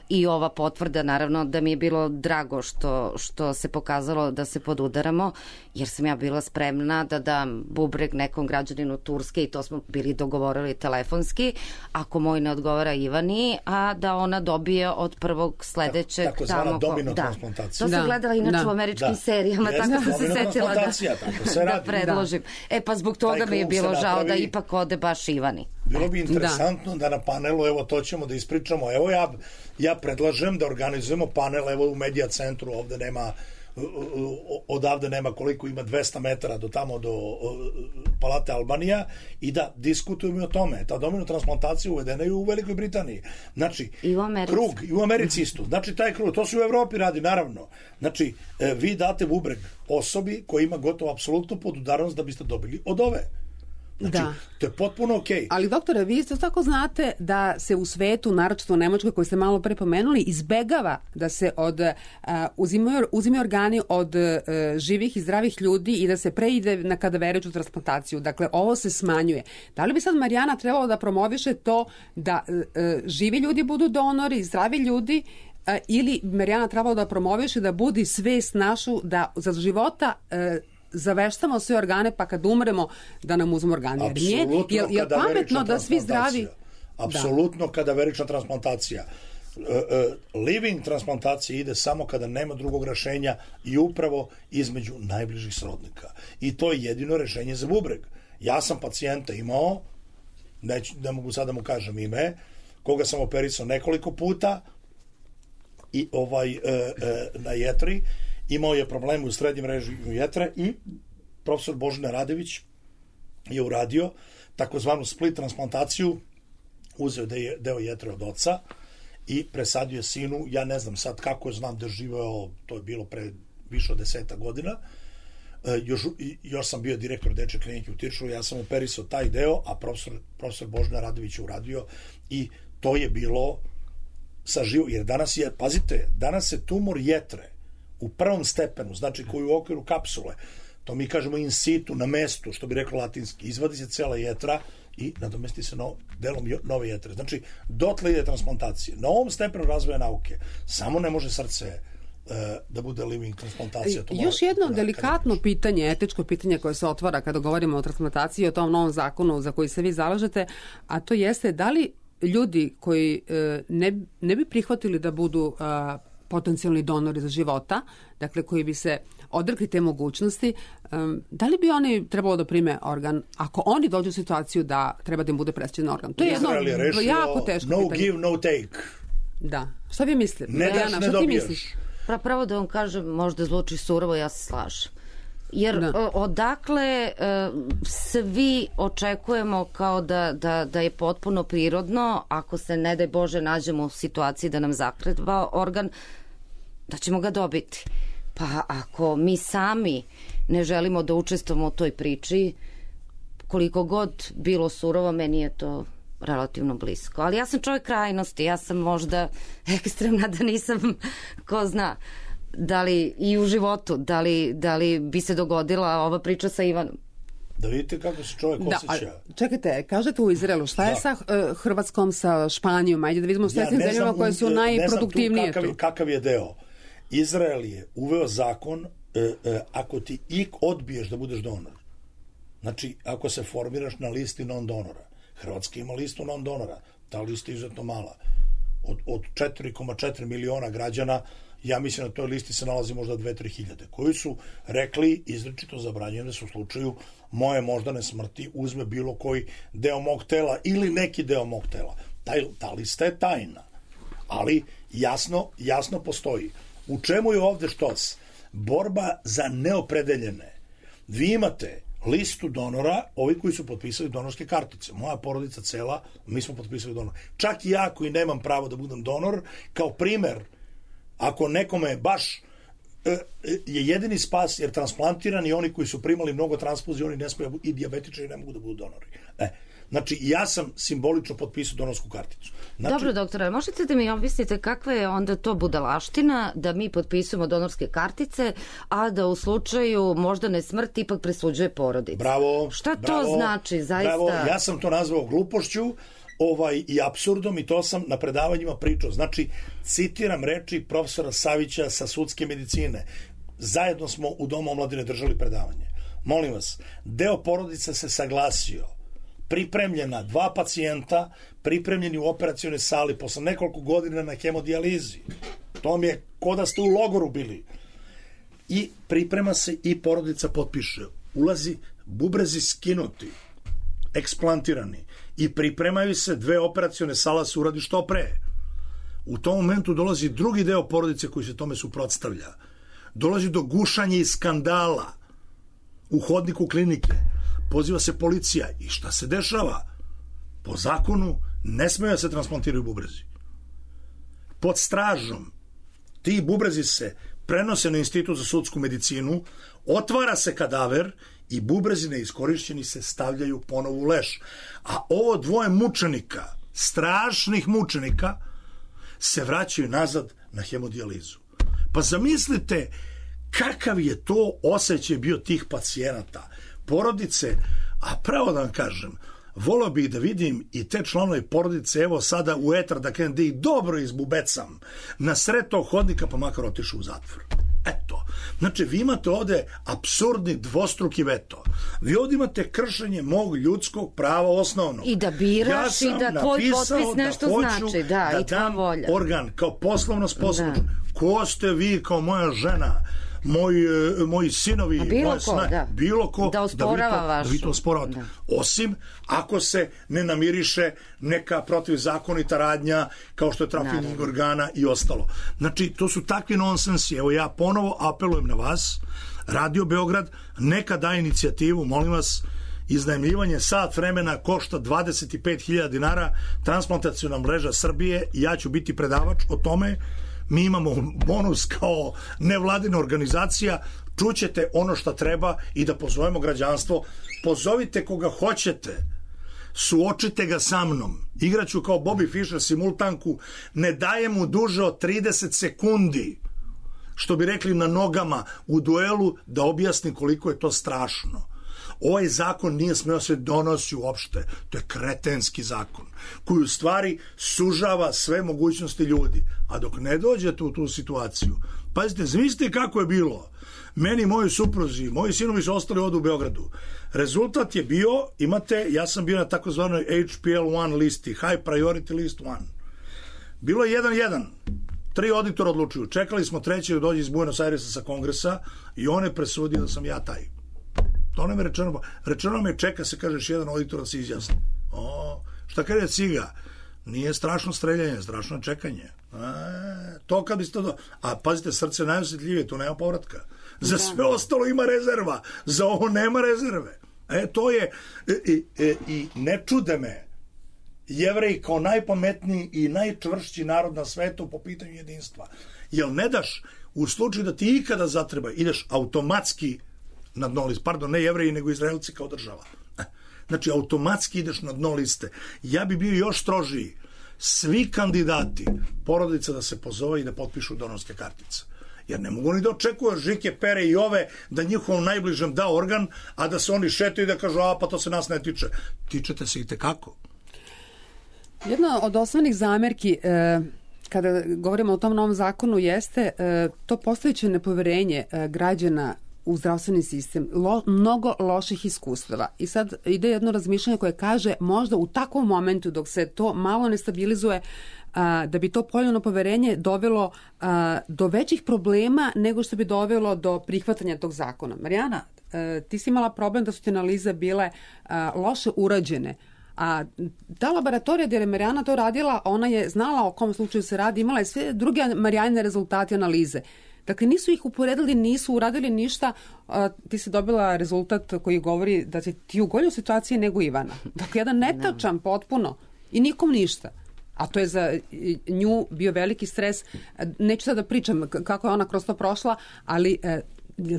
I ova potvrda, naravno, da mi je bilo drago što, što se pokazalo da se podudaramo, jer sam ja bila spremna da dam bubreg nekom građaninu Turske i to smo bili dogovorili telefonski, ako moj ne odgovara Ivani, a da ona dobije od prvog sledećeg... Tako, tako zvana domino transplantacija. To sam da. gledala inače da. u američkim da. serijama, Jeste, tako sam se setila da, tako se da predložim. Da. E pa zbog toga mi je bilo žao da ipak ode baš Ivani. Bilo bi interesantno da. da na panelu, evo to ćemo da ispričamo, evo ja, ja predlažem da organizujemo panel, evo u Medija centru, ovde nema, odavde nema koliko ima dvesta metara do tamo do Palate Albanija i da diskutujemo o tome. Ta domino transplantacija uvedena je u Velikoj Britaniji. Znači, i u Americi. Krug, i u Americi isto. Znači, taj krug, to se u Evropi radi, naravno. Znači, vi date bubreg osobi koja ima gotovo apsolutnu podudarnost da biste dobili od ove. Znači, da. To je potpuno okej. Okay. Ali, doktore, vi isto tako znate da se u svetu, naročito u Nemačkoj, koji ste malo pre pomenuli, izbegava da se od, uh, uzimaju, uzimaju organi od uh, živih i zdravih ljudi i da se preide na kadaveričnu transplantaciju. Dakle, ovo se smanjuje. Da li bi sad Marijana trebalo da promoviše to da uh, živi ljudi budu donori, zdravi ljudi, uh, ili Marijana trebalo da promoviše da budi svest našu da za života uh, zaveštamo sve organe, pa kad umremo da nam uzmu organe. Apsolutno, je, je pametno da svi zdravi... Apsolutno, kadaverična transplantacija. living transplantacija ide samo kada nema drugog rešenja i upravo između najbližih srodnika. I to je jedino rešenje za bubreg. Ja sam pacijenta imao, ne, ne mogu sad da mu kažem ime, koga sam operisao nekoliko puta i ovaj e, e, na jetri, imao je probleme u srednjem režiju jetre i profesor Božina Radević je uradio takozvanu split transplantaciju, uzeo deo jetre od oca i presadio je sinu, ja ne znam sad kako je, znam da je živeo, to je bilo pre više od deseta godina, e, još, još sam bio direktor dečje klinike u Tiršovu, ja sam operisao taj deo, a profesor, profesor Božina Radović je uradio i to je bilo sa živo, jer danas je, pazite, danas se tumor jetre u prvom stepenu, znači koji u okviru kapsule, to mi kažemo in situ, na mestu, što bi reklo latinski, izvadi se cela jetra i nadomesti se no, delom nove jetre. Znači, dotle ide transplantacija. Na ovom stepenu razvoja nauke samo ne može srce e, da bude living transplantacija. To Još jedno da, delikatno pitanje, etičko pitanje koje se otvara kada govorimo o transplantaciji i o tom novom zakonu za koji se vi zalažete, a to jeste da li ljudi koji e, ne, ne bi prihvatili da budu a, potencijalni donori za života, dakle koji bi se odrekli te mogućnosti, um, da li bi oni trebalo da prime organ ako oni dođu u situaciju da treba da im bude presađen organ? To je jedno je jako teško no pitanje. No give, no take. Da. Šta vi mislite? Ne daš, Marijana, ne šta dobiješ. ti misliš? Pa pravo da vam kažem, možda zvuči surovo, ja se slažem. Jer da. odakle svi očekujemo kao da, da, da je potpuno prirodno, ako se ne daj Bože nađemo u situaciji da nam zakreva organ, da ćemo ga dobiti. Pa ako mi sami ne želimo da učestvujemo u toj priči, koliko god bilo surovo, meni je to relativno blisko. Ali ja sam čovjek krajnosti, ja sam možda ekstremna da nisam, ko zna, da li i u životu, da li, da li bi se dogodila ova priča sa Ivanom. Da vidite kako se čovjek da, osjeća. Čekajte, kažete u Izraelu, šta je da. sa uh, Hrvatskom, sa Španijom? Ajde da vidimo s ja zemljama koje su najproduktivnije. Ne znam tu kakav, kakav je deo. Izrael je uveo zakon e, e, ako ti i odbiješ da budeš donor. Znači, ako se formiraš na listi non-donora. Hrvatska ima listu non-donora. Ta lista je izuzetno mala. Od, od četiri zarez četiri miliona građana, ja mislim na toj listi se nalazi možda dve do tri hiljade, koji su rekli izričito zabranjene da su u slučaju moje moždane smrti uzme bilo koji deo mog tela ili neki deo mog tela. Taj, ta lista je tajna. Ali jasno, jasno postoji. U čemu je ovde štos? Borba za neopredeljene. Vi imate listu donora, ovi koji su potpisali donorske kartice. Moja porodica cela, mi smo potpisali donor. Čak i ja koji nemam pravo da budem donor, kao primer, ako nekome baš e, je jedini spas, jer transplantirani oni koji su primali mnogo transfuzija, oni ne smiju i dijabetičari ne mogu da budu donori. E, znači, ja sam simbolično potpisao donorsku karticu. Znači, dobro, doktore, možete da mi objasnite kakva je onda to budalaština da mi potpisujemo donorske kartice, a da u slučaju moždane smrti ipak presuđuje porodica? Bravo. Šta bravo, to znači, zaista? Bravo, ja sam to nazvao glupošću ovaj, i apsurdom i to sam na predavanjima pričao. Znači, citiram reči profesora Savića sa sudske medicine. Zajedno smo u Domu omladine držali predavanje. Molim vas, deo porodice se saglasio, pripremljena dva pacijenta, pripremljeni u operacionoj sali posle nekoliko godina na hemodijalizi. To vam je ko da ste u logoru bili. I priprema se i porodica potpiše. Ulazi bubrezi skinuti, eksplantirani i pripremaju se dve operacione sala se uradi što pre. U tom momentu dolazi drugi deo porodice koji se tome suprotstavlja. Dolazi do gušanja i skandala u hodniku klinike. Poziva se policija i šta se dešava? Po zakonu ne smeju se transplantiraju bubrezi. Pod stražom ti bubrezi se prenose na Institut za sudsku medicinu, otvara se kadaver i bubrezi neiskorišćeni se stavljaju ponovo u leš. A ovo dvoje mučenika, strašnih mučenika, se vraćaju nazad na hemodijalizu. Pa zamislite kakav je to osjećaj bio tih pacijenata, porodice, a pravo da vam kažem, volio bih da vidim i te članove porodice, evo sada u etar, da krenem da ih dobro izbubecam na sred tog hodnika, pa makar otišu u zatvor. Eto. Znači, vi imate ovde apsurdni dvostruki veto. Vi ovde imate kršenje mog ljudskog prava osnovnog. I da biraš ja i da tvoj potpis nešto da znači. Da, da i tvoja volja. Organ kao poslovno sposobno. Ko ste vi kao moja žena, moji, moji sinovi, bilo moje ko, sna, da. bilo ko, da osporava da vašu. Da vi to osporavate. Da. Osim ako se ne namiriše neka protivzakonita radnja kao što je trafiking organa i ostalo. Znači, to su takvi nonsensi. Evo ja ponovo apelujem na vas, Radio Beograd, neka da inicijativu, molim vas, iznajmljivanje sat vremena košta dvadeset pet hiljada dinara, transplantaciona mreža Srbije, i ja ću biti predavač o tome. Mi imamo bonus kao nevladina organizacija, čućete ono što treba i da pozovemo građanstvo. Pozovite koga hoćete, suočite ga sa mnom. Igraću kao Bobby Fischer simultanku, ne daje mu duže od trideset sekundi, što bi rekli na nogama, u duelu da objasni koliko je to strašno. Ovaj zakon nije smeo se donosi uopšte. To je kretenski zakon koji u stvari sužava sve mogućnosti ljudi. A dok ne dođete u tu situaciju, pazite, zamislite kako je bilo. Meni, moji supruzi, moji sinovi su ostali ovdje u Beogradu. Rezultat je bio, imate, ja sam bio na takozvanoj H P L jedan listi, High Priority List jedan. Bilo je jedan jedan. Tri auditora odlučuju. Čekali smo treći da dođe iz Buenos Airesa sa kongresa i on je presudio da sam ja taj. To nam je rečeno. Rečeno nam je, čeka se, kažeš, jedan auditor da se izjasni. O, šta kaže Ciga? Nije strašno streljanje, strašno čekanje. E, to kad biste do... A pazite, srce najosjetljivije, tu nema povratka. Za sve ostalo ima rezerva, za ovo nema rezerve. E, to je... I, i, i ne čude me Jevreji kao najpametniji i najčvršći narod na svetu po pitanju jedinstva. Jel ne daš, u slučaju da ti ikada zatreba, ideš automatski na dno liste, pardon, ne Jevreji, nego Izraelci kao država. Znači, automatski ideš na dno liste. Ja bi bio još strožiji. Svi kandidati, porodica da se pozove i da potpišu donorske kartice. Jer ne mogu ni da očekuju Žike, Pere i ove da njihovom najbližem da organ, a da se oni šetaju i da kažu, a pa to se nas ne tiče. Tičete se i tekako. Jedna od osnovnih zamerki e, kada govorimo o tom novom zakonu jeste e, to postojeće nepoverenje e, građana u zdravstveni sistem, lo, mnogo loših iskustava. I sad ide jedno razmišljanje koje kaže možda u takvom momentu dok se to malo ne stabilizuje, a, da bi to poljeno poverenje dovelo a, do većih problema nego što bi dovelo do prihvatanja tog zakona. Marijana, a, ti si imala problem da su ti analize bile a, loše urađene. A ta laboratorija gdje je Marijana to radila, ona je znala o kom slučaju se radi, imala je sve druge Marijanine rezultate analize. Dakle, nisu ih uporedili, nisu uradili ništa, a, ti si dobila rezultat koji govori da si ti u goljoj situaciji nego Ivana. Dakle, jedan netačan potpuno i nikom ništa. A to je za nju bio veliki stres. Neću sad da pričam kako je ona kroz to prošla, ali e,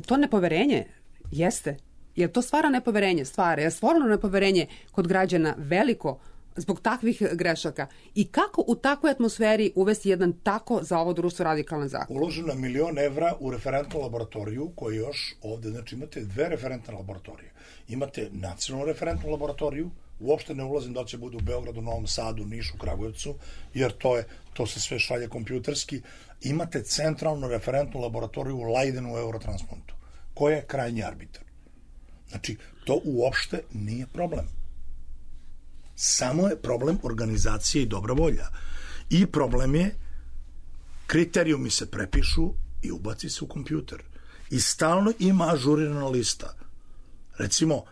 to nepoverenje jeste. Jer to stvara nepoverenje, stvara. Je stvoreno nepoverenje kod građana veliko zbog takvih grešaka. I kako u takvoj atmosferi uvesti jedan tako za ovo društvo radikalan zakon? Uloženo milion evra u referentnu laboratoriju koju još ovde, znači imate dve referentne laboratorije. Imate nacionalnu referentnu laboratoriju, uopšte ne ulazim da li će bude u Beogradu, Novom Sadu, Nišu, Kragujevcu, jer to je, to se sve šalje kompjuterski. Imate centralnu referentnu laboratoriju u Leidenu u Eurotransplantu, koja je krajnji arbitar. Znači, to uopšte nije problem. Samo je problem organizacije i dobra volja. I problem je, kriterijumi se prepišu i ubaci se u kompjuter. I stalno ima ažurirana lista. Recimo,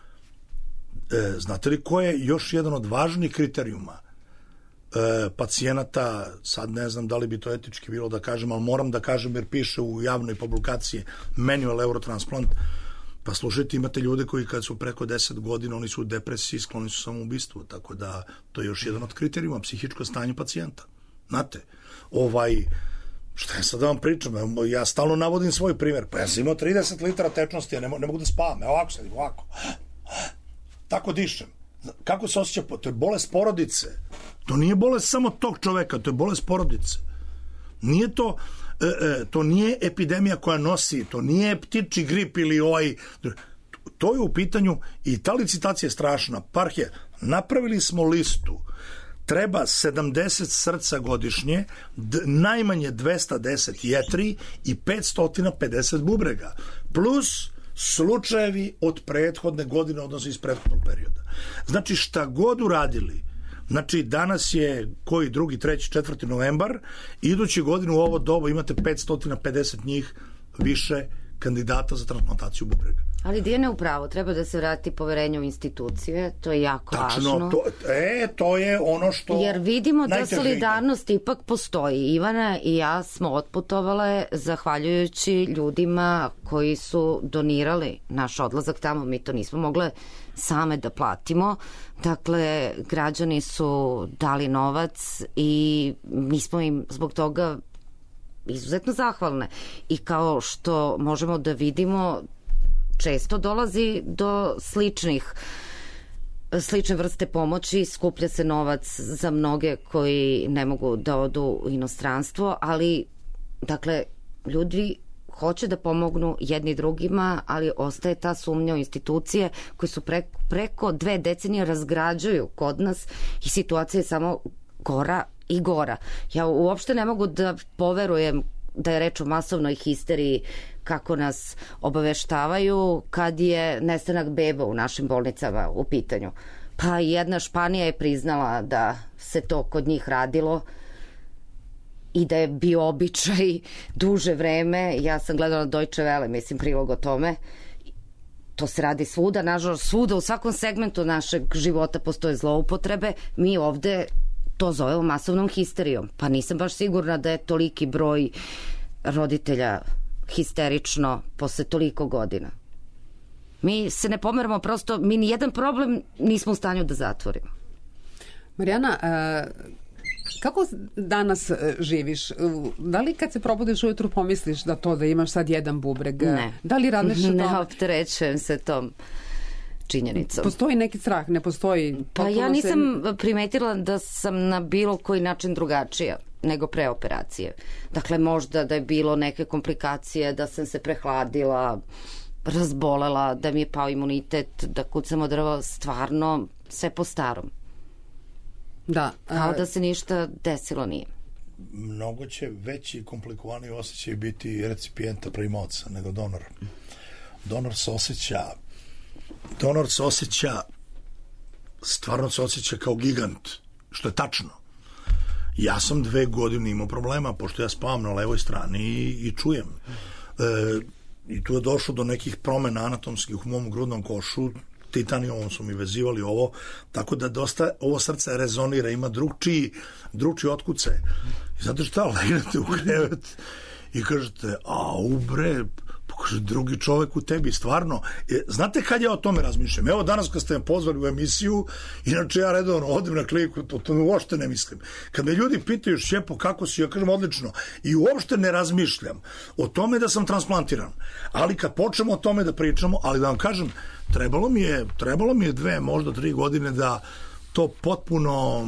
e, znate li ko je još jedan od važnih kriterijuma e, pacijenata, sad ne znam da li bi to etički bilo da kažem, ali moram da kažem jer piše u javnoj publikaciji Manual Eurotransplant. Pa slušajte, imate ljude koji kad su preko deset godina, oni su u depresiji, skloni su samoubistvu, tako da to je još jedan od kriterijuma, psihičko stanje pacijenta. Znate, ovaj, šta je sad da vam pričam, ja stalno navodim svoj primjer, pa ja sam imao trideset litara tečnosti, ja ne, ne mogu da spavam, ja ovako sedim, ovako, tako dišem. Kako se osjeća? To je bolest porodice, to nije bolest samo tog čoveka, to je bolest porodice. Nije to, e, e, to nije epidemija koja nosi, to nije ptiči grip ili ovaj, to je u pitanju i ta licitacija je strašna. Parhije, napravili smo listu treba sedamdeset srca godišnje, d- najmanje dvesta deset jetri i petsto pedeset bubrega, plus slučajevi od prethodne godine, odnosno iz prethodnog perioda. Znači, šta god uradili, znači danas je koji drugi, treći, četvrti novembar, idući godinu u ovo doba imate petsto pedeset njih više kandidata za transplantaciju bubrega. Ali Dijana je upravo, treba da se vrati poverenje u institucije, to je jako Tačno, važno. to, e, to je ono što... Jer vidimo da najteže solidarnost ide. Ipak postoji. Ivana i ja smo otputovale zahvaljujući ljudima koji su donirali naš odlazak tamo. Mi to nismo mogle same da platimo. Dakle, građani su dali novac i mi smo im zbog toga izuzetno zahvalne. I kao što možemo da vidimo, često dolazi do sličnih slične vrste pomoći, skuplja se novac za mnoge koji ne mogu da odu u inostranstvo, ali dakle, ljudi hoće da pomognu jedni drugima, ali ostaje ta sumnja u institucije koje su pre, preko dve decenije razgrađuju kod nas i situacija je samo gora i gora. Ja uopšte ne mogu da poverujem da je reč o masovnoj histeriji kako nas obaveštavaju kad je nestanak beba u našim bolnicama u pitanju. Pa jedna Španija je priznala da se to kod njih radilo i da je bio običaj duže vreme. Ja sam gledala Deutsche Welle, mislim, prilog o tome. To se radi svuda, nažalost svuda, u svakom segmentu našeg života postoje zloupotrebe. Mi ovde to zovemo masovnom histerijom. Pa nisam baš sigurna da je toliki broj roditelja histerično posle toliko godina. Mi se ne pomeramo, prosto mi ni jedan problem nismo u stanju da zatvorimo. Marijana, kako danas živiš? Da li kad se probudiš ujutru pomisliš da to da imaš sad jedan bubreg? Ne. Da li radiš o tome? Ne opterećujem se tom činjenicom. Postoji neki strah, ne postoji? Pa ja nisam se... primetila da sam na bilo koji način drugačija nego pre operacije. Dakle, možda da je bilo neke komplikacije, da sam se prehladila, razbolela, da mi je pao imunitet, da kucam od drva, stvarno sve po starom. Da. Kao a... da se ništa desilo nije. Mnogo će veći i komplikovaniji osjećaj biti recipijenta primaoca nego donora. Donor se osjeća donor se osjeća stvarno se osjeća kao gigant, što je tačno. Ja sam dve godine imao problema, pošto ja spavam na levoj strani i, i čujem. E, I tu je došlo do nekih promena anatomskih u mom grudnom košu, titanijom su mi vezivali ovo, tako da dosta ovo srce rezonira, ima drugčiji, drugčiji otkuce. I zato što legnete u krevet i kažete, a ubre, kaže, drugi čovek u tebi, stvarno. E, znate kad ja o tome razmišljam? Evo danas kad ste me pozvali u emisiju, inače ja redovno odem na kliniku, to, to uopšte ne mislim. Kad me ljudi pitaju, Šćepo, kako si, ja kažem odlično. I uopšte ne razmišljam o tome da sam transplantiran. Ali kad počnemo o tome da pričamo, ali da vam kažem, trebalo mi je, trebalo mi je dve, možda tri godine da to potpuno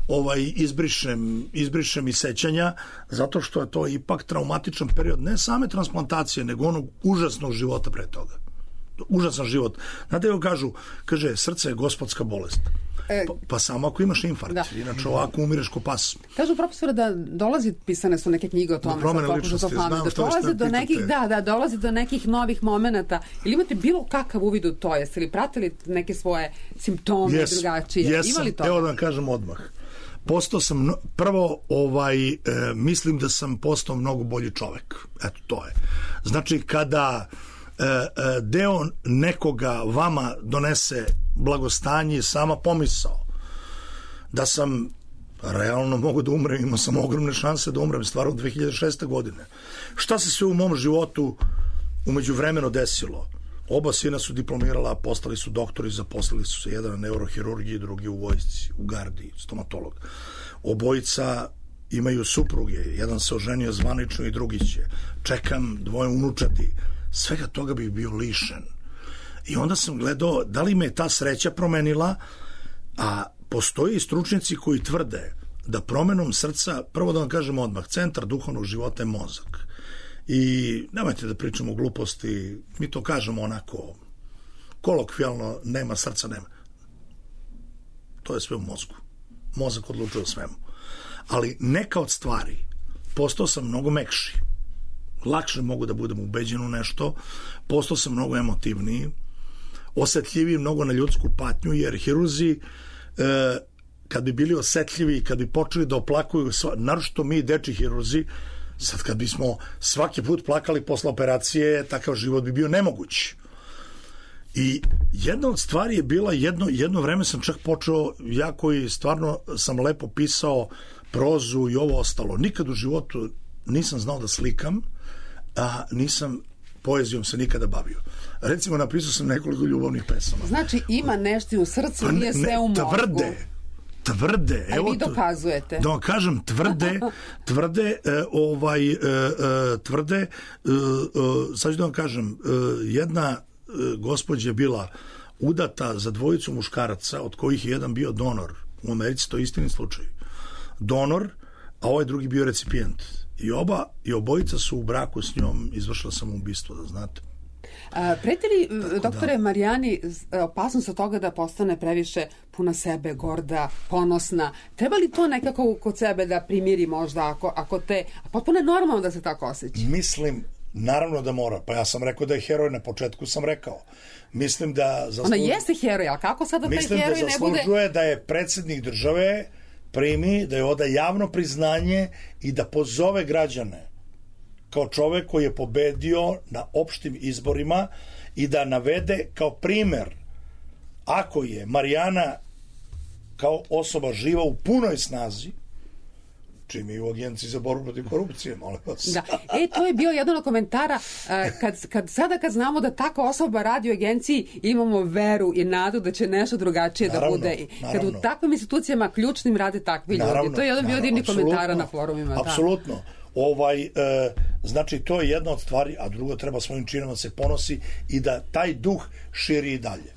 ovaj izbrišem, izbrišem iz sećanja, zato što je to ipak traumatičan period, ne same transplantacije, nego onog užasnog života pre toga. Užasan život. Znate, joj kažu, kaže, srce je gospodska bolest. E, pa, pa samo ako imaš infarkt, da. Inače ovako umireš ko pas. Kažu profesore da dolazi, pisane su neke knjige o tome, promene ličnosti, znam da što dolazi do nekih, da, da, dolazi do nekih novih momenata. Ili imate bilo kakav uvid u to? Jeste li pratili neke svoje simptome yes, drugačije? Jesam, Ima li to? Evo da vam kažem odmah. Postao sam, prvo, ovaj, e, mislim da sam postao mnogo bolji čovek. Eto, to je. Znači, kada e, e, deo nekoga vama donese blagostanje, sama pomisao da sam realno mogu da umrem, imao sam ogromne šanse da umrem, stvarno dve hiljade šeste. godine. Šta se sve u mom životu umeđu vremeno desilo? Oba sina su diplomirala, postali su doktori, zaposlili su se, jedan na neurohirurgiji, drugi u vojsci, u gardi, stomatolog. Obojica imaju supruge, jedan se oženio zvanično i drugi će. Čekam dvoje unučati. Svega toga bih bio lišen. I onda sam gledao da li me ta sreća promenila, a postoje i stručnjaci koji tvrde da promenom srca, prvo da vam kažem odmah, centar duhovnog života je mozak. I nemojte da pričamo o gluposti, mi to kažemo onako kolokvijalno, nema srca, nema. To je sve u mozgu. mozak odlučuje o svemu. Ali neka od stvari postao sam mnogo mekši. Lakše mogu da budem ubeđen u nešto, postao sam mnogo emotivniji, osetljiviji mnogo na ljudsku patnju, jer hirurzi e, kad bi bili osetljivi i kad bi počeli da oplakuju, naročito mi deči hirurzi, sad kad bismo svaki put plakali posle operacije, takav život bi bio nemoguć. I jedna od stvari je bila, jedno, jedno vreme sam čak počeo, ja koji stvarno sam lepo pisao prozu i ovo ostalo, nikad u životu nisam znao da slikam, a nisam poezijom se nikada bavio. Recimo, napisao sam nekoliko ljubavnih pesama. Znači, ima nešto u srcu, nije sve u mozgu. Tvrde, tvrde. A vi dokazujete. Da vam kažem, tvrde, tvrde, e, ovaj, e, e, tvrde, e, e, sad ću da vam kažem, e, jedna e, gospođa je bila udata za dvojicu muškaraca, od kojih je jedan bio donor. U Americi to je istini slučaj. Donor, a ovaj drugi bio recipijent. I oba, i obojica su u braku s njom izvršila samoubistvo, da znate. A, preti li, doktore da. Marijani, opasnost od toga da postane previše puna sebe, gorda, ponosna? Treba li to nekako kod sebe da primiri možda, ako, ako te... Potpuno je normalno da se tako osjeća. Mislim, naravno da mora. Pa ja sam rekao da je heroj, na početku sam rekao. Mislim da... Zasluž... Ona jeste heroj, ali kako sada taj heroj ne bude... Mislim da zaslužuje da je predsjednik države primi, da je oda javno priznanje i da pozove građane kao čovek koji je pobedio na opštim izborima i da navede kao primer, ako je Marijana kao osoba živa u punoj snazi, čim je u Agenciji za borbu protiv korupcije, molim vas. Da. E, to je bio jedan od komentara, kad, kad, sada kad znamo da takva osoba radi u agenciji, imamo veru i nadu da će nešto drugačije naravno, da bude. Kad u takvim institucijama ključnim rade takvi naravno, ljudi. To je jedan bio divni komentara na forumima. Apsolutno. Da. Ovaj, e, znači, to je jedna od stvari, a drugo, treba svojim činom da se ponosi i da taj duh širi i dalje.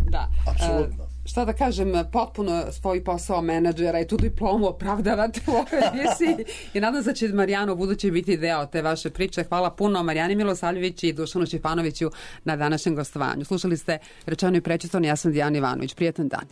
Da. Apsolutno. E, šta da kažem, potpuno svoj posao menadžera i tu diplomu opravdavate u ovoj emisiji i nadam se da će Marijana u buduće biti deo te vaše priče. Hvala puno Marijani Milosavljević i Dušanu Šćepanoviću na današnjem gostovanju. Slušali ste Rečeno i prečitano, ja sam Dijana Ivanović. Prijetan dan.